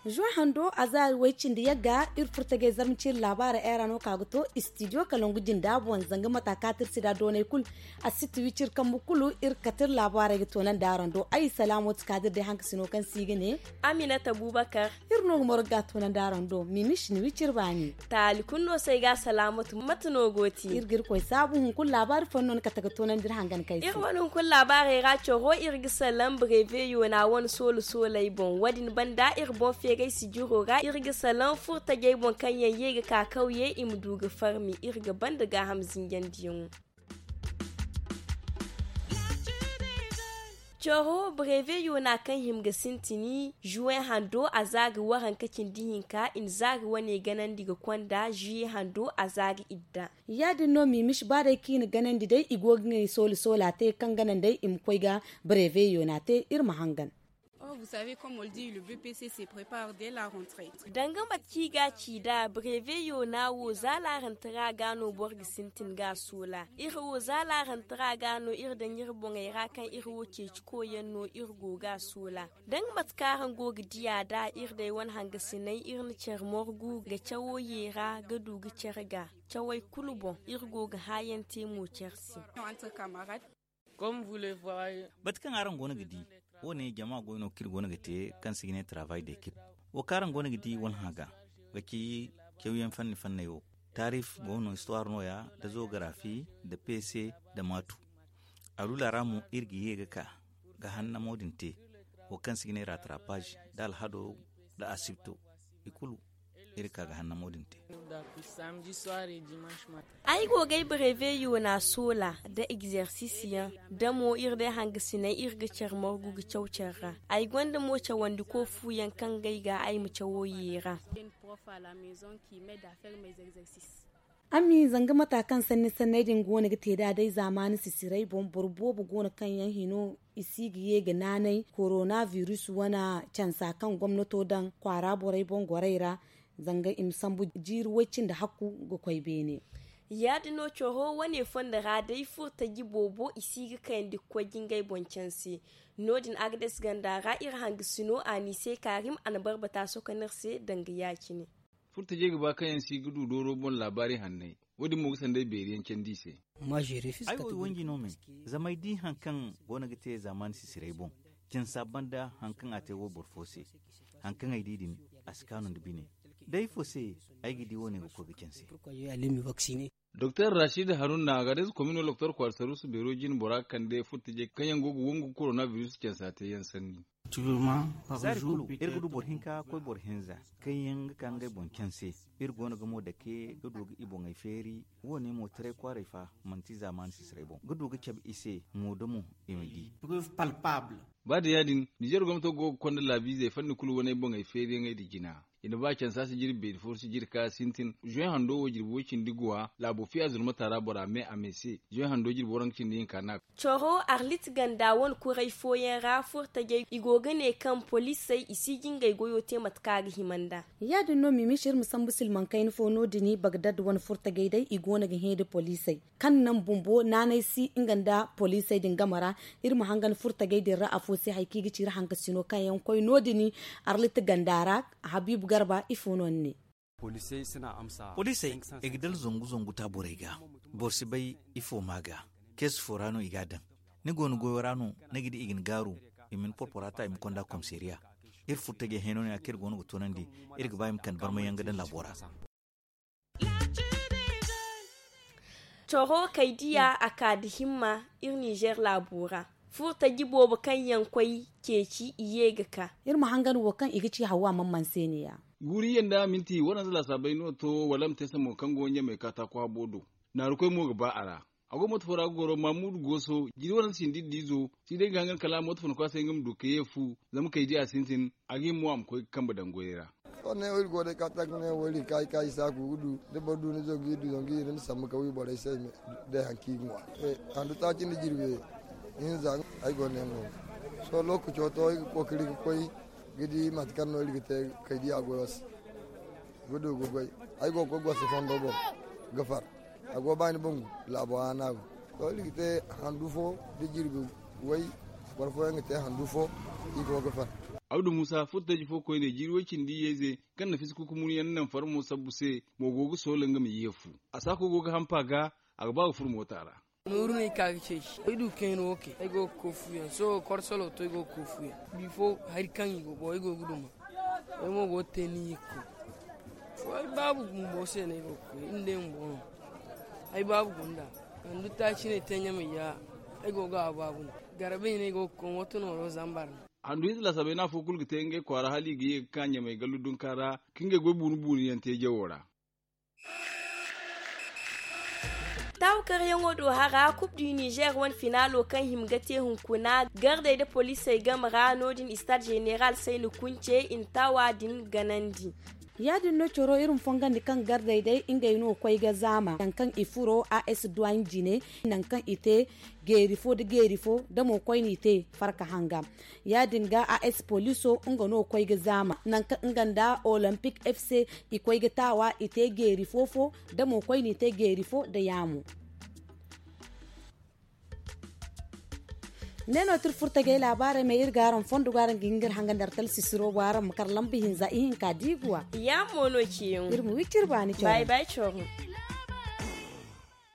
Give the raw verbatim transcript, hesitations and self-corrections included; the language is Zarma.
Zuwa hando a za way cindi yagga iri furtajey zarma ci iri laabaara era no ka ga to istidiyo kalangu jinda boŋ zanga mata ka ti iri si da doonay kulu. A si ti wi ci iri kambu kulu iri ga kate iri laabaarey ga toonandi araŋ do ay salaamo ti ka da iri day hankasino kaŋ se i ga ne. Aminata bubakar. Iri no ga moro ga ga toonandi araŋ do mimis ni wi ci iri baani. Taali kulu no se ay ga salaamo ti mate no go ti iri ga iri koy saabu hunkuna laabaari fooyaŋ no ni kate ga toonandi iri hangan kay se. Iri wane hunkuna laabaarey ra coro iri ga salaŋ bareeveyo na wane soola sooley boŋ wo- din banda iri boŋ feeray sijiro ra iri ga salaŋ furtajey boŋ kaŋ yaŋ ye ga ka kawye i ma du ga farmi iri ga banda gaaham zinjandiyaŋo. Coro bareeveyo na kaŋ hima ga sintini zuwe hando a za ga waranka cindi hinka i na za ga wane ganandi ga konda zuwe hando a za ga idda. Ya- din no mimis ba day kaŋ i na ganandi day i go ga ngey soola soola te kaŋ ganandey i ma koy ga bareeveyo na te iri ma hangan. Danga mate kaŋ i ga a ci nd'a bareeveyo na wo za laarantara ga no boro ga sintin ga a soola iri wo za laarantara ga no iri daŋ iri boŋey ra kaŋ iri wo ceeci koyyaŋ no iri go ga a soola. Danga mate kaŋ araŋ go ga di a da iri day wane hangasiney iri na care morgu ga cawo yeera ga du ga care ga cawey kulu boŋ iri go ga haayaŋ te mo care se. Mate kaŋ araŋ go no ga di, wo- ne jama goy no kaŋ iri go no ga te kaŋ se i ga ne travay da ekip. Wo kaŋ araŋ go no ga di walhã ga ga ci cawyaŋ fanni fanney wo, taarif go no istuwaar no- ya nda zogarafi nda pese nda maatu. Alula ra mo iri ga ye ga ka ga hannamo din te, wo kaŋ se i ga ne ratrapaz nda alhado nda asibto, i kulu iri ka ga hannamo din te. Ay go ga ay bareeveyo na soola nda egzersisyaŋ nda mo iri day hangasiney iri ga care morgu ga caw care ra. Ay gonda mo cawandi koofuyaŋ kaŋ gay ga ay ma cawo yeera. Ami zanga mata kaŋ sanni sanney din go no ga te nd'a day zaamaani sisiray boŋ boro boobo go no kaŋ yaŋ hino i si ga ye ga naanay korona biris wane cansa kaŋ gomnato daŋ kwaara borey boŋ gorey ra, zanga i ma sambu jiiri way cindi hakku ga koy beene. Ya- din no coro wane fondo ra day furtaji boobo i si ga kayandi ga koy ga ngey boŋ canse. No- din agades ganda ra iri hangasino a n'i se kaarim a na barbata sokonir se danga ya- cine. Furtajey ga ba kaŋ yaŋ si ga du dooro boŋ laabaari hanney, wo- din mo ga sanday beeri yaŋ candi i se. Ay wo i wanji no me, zama ay di hari kaŋ go no ga te zaamaani sisiray boŋ. Cansa banda hari kaŋ a te wayboro fo se, hari kaŋ ay di din, a si kaanu nda bine. Day ifo se ay ga di wo- ne ga koy ga canse? Doktor rashid haruna ga day si komino doktor kwaara saruusu beero jine bora ga kande furtajey kaŋ yaŋ go ga wangu ga korona biris cansa te yaŋ sanni. Zaari kulu iri ga du boro hinka koy boro hinza kaŋ yaŋ ga ka ngey boŋ canse. Iri go no ga mo dake ga du ga i boŋey feeri. Wo- ne mo taray kwaaray fa manti zaamaani sisiray boŋ ga du ga cabe i se mo da mo i ma di. Ba da ya- din nizer gomnato go ga konda laabiizey fanni kulu wane boŋey feeriyaŋey nda jina. I na ba cansa si jirbi beeri fo si jirka sintin zuwe hando wo jirbi way cindi guwa laabo fiya zurmata ra bora me a me se zuwe hando jirbi waranka cindi hinka na. Coro arlit ganda wane kuray fooyaŋ ra furtajey i go ga ne kaŋ poliisey i si ga ngey goyo te mate kaŋ a ga hima nd'a. Ya- din no mimis iri ma sambu silmaŋ kayna fo no- din bagdad wane furtajey day i go no ga hẽ nda poliisey kaŋ naŋ bumbo naanay si nga nda poliisey din game ra. Iri ma hangan furtajey din ra afo se hari kaŋ i ga ci iri hangasino kaŋ yaŋ koy no- din arlit ganda ra. Habiibu garba ifo no ni ne? Poliisey i ga dala zangu zangu ta borey ga. Boro si bay ifo ma ga. Keesi fo ra no i ga a daŋ. Ni go ni goyo ra no ni ga di i ga ni gaaru. I ma ni porpora ta i ma konda komisariya. Iri furtajey hẽeno no ya kaŋ iri go no ga toonandi. Iri ga ba i ma kande barmayaŋ ga daŋ laabo ra. Coro kay diya a ka da himma iri nizer laabo ra. Furtaji boobo kaŋ yaŋ koy ceeci i ye ga ka. Iri ma hangan wo kaŋ i ga ci hawa man man se ne ya. Guuri yanda minti waranza laasaabay no to wala ma te samo kaŋ go ɲamay kaataako habo do. Naarukoy mo ga ba a ra. A go moto fo ra ga goro mamudu gooso jiri waranza sindi iddiizo. Si day ga hangan kala moto fo na koy a se nga ma du ka ye fu. Zama kay di a sintin a ga hima mo a ma koy ga kambe daŋ goyey ra. Sohõ ne wo iri go day kaataako ne wo iri ga ka i ka i saaku ga du da boro du ni zangu iri du zangu iri ni sambu ka wi borey se day hari kaŋ i ga ŋwa. Handu taaci nda jirbi hinza ay go ne mo. Sohõ lookaco to iri ga kookari ga koy ga di mate kaŋ no iri ga te kay di a goyo se. Ga du ga goy ay go ga koy gosi fondo boŋ ga far. A go baani bangu laabo haana go. To iri ga te handu fo da jirbi way. Boro fooyaŋ ga te handu fo. I go ga far. Abdu musa furtaji fo koyne jiiri way cindi yeeze kaŋ na fisi kukumunu yaŋ naŋ farmo sabbu se mo go ga soola nga ma ye fu. A saako go ga hampa ga a ga ba ga furo moota ra. Nooru no ay ka ga ceeci ay du kayna wo kay ay go ga koy fuyaŋ sohõ korsolo to ay go ga koy fuyaŋ. Bifo hari kaŋ i go boŋ ay go ga duma. Ay mo go ga te ni yikko. Fo ay baabu bumbo se no ay go ga koy iri nda ay bumbo no. Ay baabu gunda. Handu taaci no ay te ɲamay ya. Ay go ga a baabu no. Garba hina ay go ga koy mooto nooro zambar no. Handu hinza laasabey no afo kulu ga te ngey kwaara hala i ga ye ga ka ɲamey gallu dunka ra ka ngey goy buunu buunu yaŋ te jawo ra. Taawu karyaŋo do hara kub du nizer wane finaalo kaŋ hima ga te hunkuna gardey nda poliisey game ra no- din istaad zeneral sayni kunce i na taawa din ganandi. Ya- din no coro iri ma fongandi kaŋ gardey day ngey no ga koy ga zaama nangu kaŋ i furo a s duwaani jine nangu kaŋ i te geeri fo nda geeri fo da mo koy no i te farka hanga. Ya- din ga a s poliiso nga no ga koy ga zaama nangu kaŋ nga nda olompic f c i koy ga taawa i te geeri fo fo da mo koy no i te geeri fo nda yaamo. Ne no tira furtagey laabaarey ma iri ga araŋ fondo go araŋ ga hin ga iri hanga nda artal sisiro bo araŋ ma kar lamba hinza ihinka diiguwa. Yaamo no ciyaŋ iri ma wi ciri baani cawra.